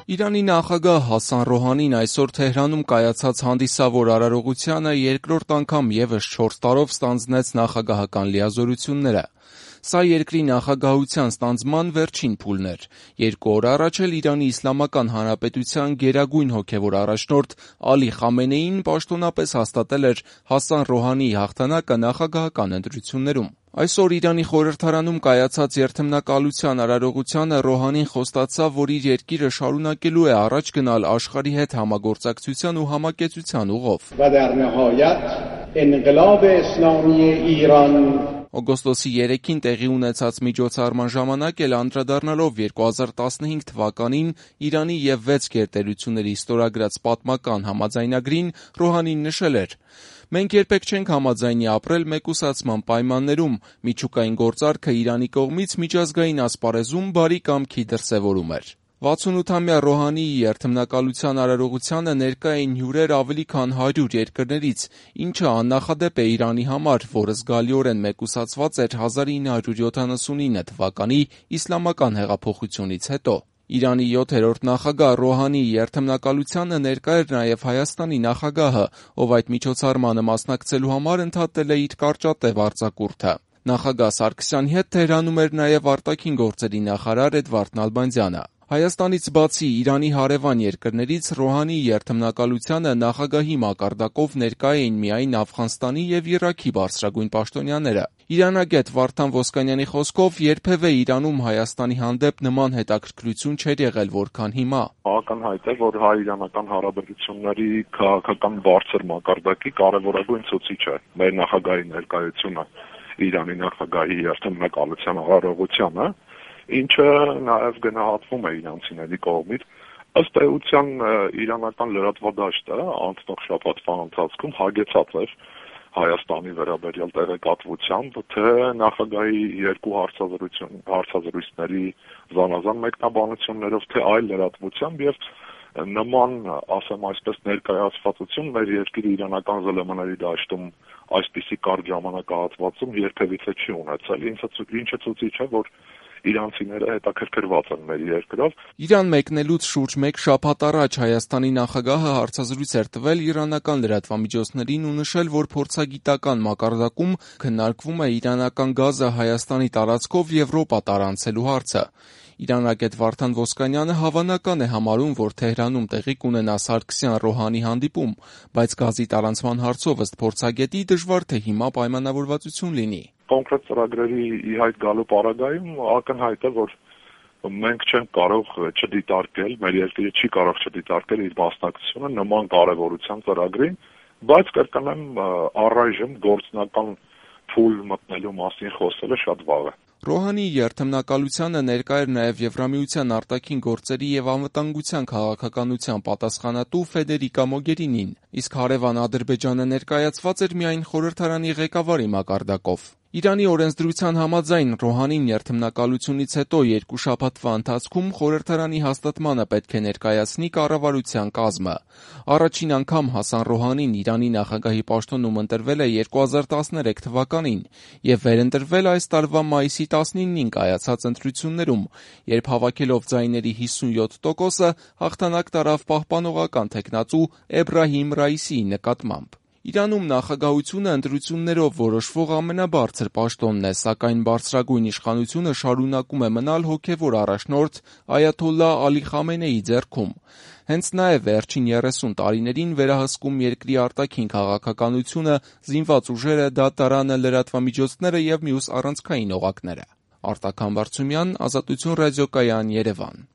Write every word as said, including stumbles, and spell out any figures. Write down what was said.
Իրանի նախագահ Հասան Ռոհանին այսօր Թեհրանում կայացած հանդիսավոր արարողությանը երկրորդ անգամ ևս չորս տարով ստանձնեց նախագահական լիազորությունները։ Սա երկրի նախագահության ստանձնման վերջին փուլն էր։ Երկու օր առաջ էլ Իրանի Իսլամական Հանրապետության գերագույն հոգևոր առաջնորդ Ալի Խամենեին պաշտոնապես հաստատել էր Հասան Ռոհանիի հաղթանակը նախագահական ընտրություններում։ Այսօր Իրանի խորհրդարանում կայացած երթմնակալության արարողությանը Ռոհանին խոստացավ, որ իր երկիրը շարունակելու է առաջ գնալ աշխարհի հետ համագործակցության ու համակեցության ուղով։ Օգոստոսի երեքին տեղի ունեցած միջոցառման ժամանակ էլ անդրադառնալով երկու հազար տասնհինգ թվականին Իրանի և վեց գերտերությունների ստորագրած պատմական համաձայնագրին, Ռոհանին նշել էր. «Մենք երբեք չենք համաձայնի ապրել մեկուսացման պայմաններում, միջուկային գործարքը Իրանի կողմից միջազգային ասպարեզում բարի կամքի դրսևորում էր»։ վաթսունութամյա Ռոհանիի երթմնակալության արարողությանը ներկա էին հյուրեր ավելի քան հարյուր երկրներից, ինչը աննախադեպ է Իրանի համար, որը զգալիորեն մեկուսացված էր հազար ինը հարյուր յոթանասունինը թվականի իսլամական հեղափոխությունից հետո։ Իրանի յոթերորդ նախագահ Ռոհանիի երթմնակալությանը ներկա էր նաև Հայաստանի նախագահը, ով այդ միջոցառմանը մասնակցելու համար ընդհատել է իր կարճատև արձակուրդը։ Նախագահ Սարգսյանի հետ Թեհրանում էր նաև արտաքին գործերի նախարար Էդվարդ Նալբանդյանը։ Հայաստանից բացի Իրանի հարևան երկրներից Ռոհանիի երթմնակալությանը նախագահի մակարդակով ներկա էին միայն Աֆղանստանի և Իրաքի բարձրագույն պաշտոնյաները։ Իրանագետ Վարդան Ոսկանյանի խոսքով երբևէ Իրանում Հայաստանի հանդեպ նման հետաքրքրություն չէր եղել, որքան հիմա։ Ակնհայտ է, որ հայ-իրանական հարաբերությունների քաղաքական բարձր մակարդակի կարևորագույն ցուցիչ է մեր նախագահի ներկայությունը Իրանի նախագահի երթմնակալության արարողությանը, ինչը նաև գնահատվում է իրանցիների կողմից։ Ըստ էության իրանական լրատվադաշտը անցնող շաբաթվա ընթացքում հագեցած էր Հայաստանի վերաբերյալ տեղեկատվությամբ, թե նախագահի երկու հարցազրույցություն հարցազրույցների զանազան մեկնաբանություններով, թե այլ լրատվությամբ, եւ նման, ասեմ այսպես, ներկայացվածություն մեր երկրի իրանական ԶԼՄ-ների դաշտում այսպիսի կարճ ժամանակահատվածում երբևիցե չի ունեցել, ինչը ցույց է, որ իրանցիները հետաքրքրված են մեր երկրով։ Իրան մեկնելուց շուրջ մեկ շաբաթ առաջ Հայաստանի նախագահը հարցազրույց էր տվել իրանական լրատվամիջոցներին ու նշել, որ փորձագիտական մակարդակում քննարկվում է իրանական գազը Հայաստանի տարածքով Եվրոպա տարանցելու հարցը։ Իրանագետ Վարդան Ոսկանյանը հավանական է համարում, որ Թեհրանում տեղի կունենա Սարգսյան-Ռոհանի հանդիպում, բայց գազի տարանցման հարցով ըստ փորձագետի դժվար թե հիմա պայմանավորվածություն լինի։ Կոնկրետ ծրագրերի ի հայտ գալու պարագայում ակնհայտ է, որ մենք չենք կարող չդիտարկել, մեր երկիրը չի կարող չդիտարկել իր մասնակցությունը նման կարևորության ծրագրին, բայց կրկնեմ, առայժմ գործնական փուլ մտնելու մասին խոսելը շատ վաղ է։ Ռոհանիի երթմնակալությանը ներկա էր նաև Եվրամիության արտաքին գործերի և անվտանգության քաղաքականության պատասխանատու Ֆեդերիկա Մոգերինին, իսկ հարևան Ադրբեջանը ներկայացված էր միայն խորհրդարանի ղեկավարի մակարդակով։ Իրանի օրենսդրության համաձայն Ռոհանին երթմնակալությունից հետո երկու շաբաթվա ընթացքում խորհրդարանի հաստատմանը պետք է ներկայացնի կառավարության կազմը։ Առաջին անգամ Հասան Ռոհանին Իրանի նախագահի պաշտոնում ընտրվել է երկու հազար տասներեք թվականին և վերընտրվել այս տարվա մայիսի տասնինին կայացած ընտրություններում, երբ հավաքելով ձայների հիսունյոթ տոկոսը հաղթանակ տարավ պահպանողական թեկնածու Էբրահիմ Ռայիսիի նկատմամբ։ Իրանում նախագահությունը ընտրություններով որոշվող ամենաբարձր պաշտոնն է, սակայն բարձրագույն իշխանությունը շարունակում է մնալ հոգևոր առաջնորդ Այաթոլլահ Ալի Խամենեիի ձեռքում։ Հենց նա է վերջին երեսուն տարիներին վերահսկում երկրի արտաքին քաղաքականությունը, զինված ուժերը, դատարանը, լրատվամիջոցները և մյուս առանցքային օղակները։ Արտակ Համբարձումյան, Ազատություն ռադիոկայան, Երևան։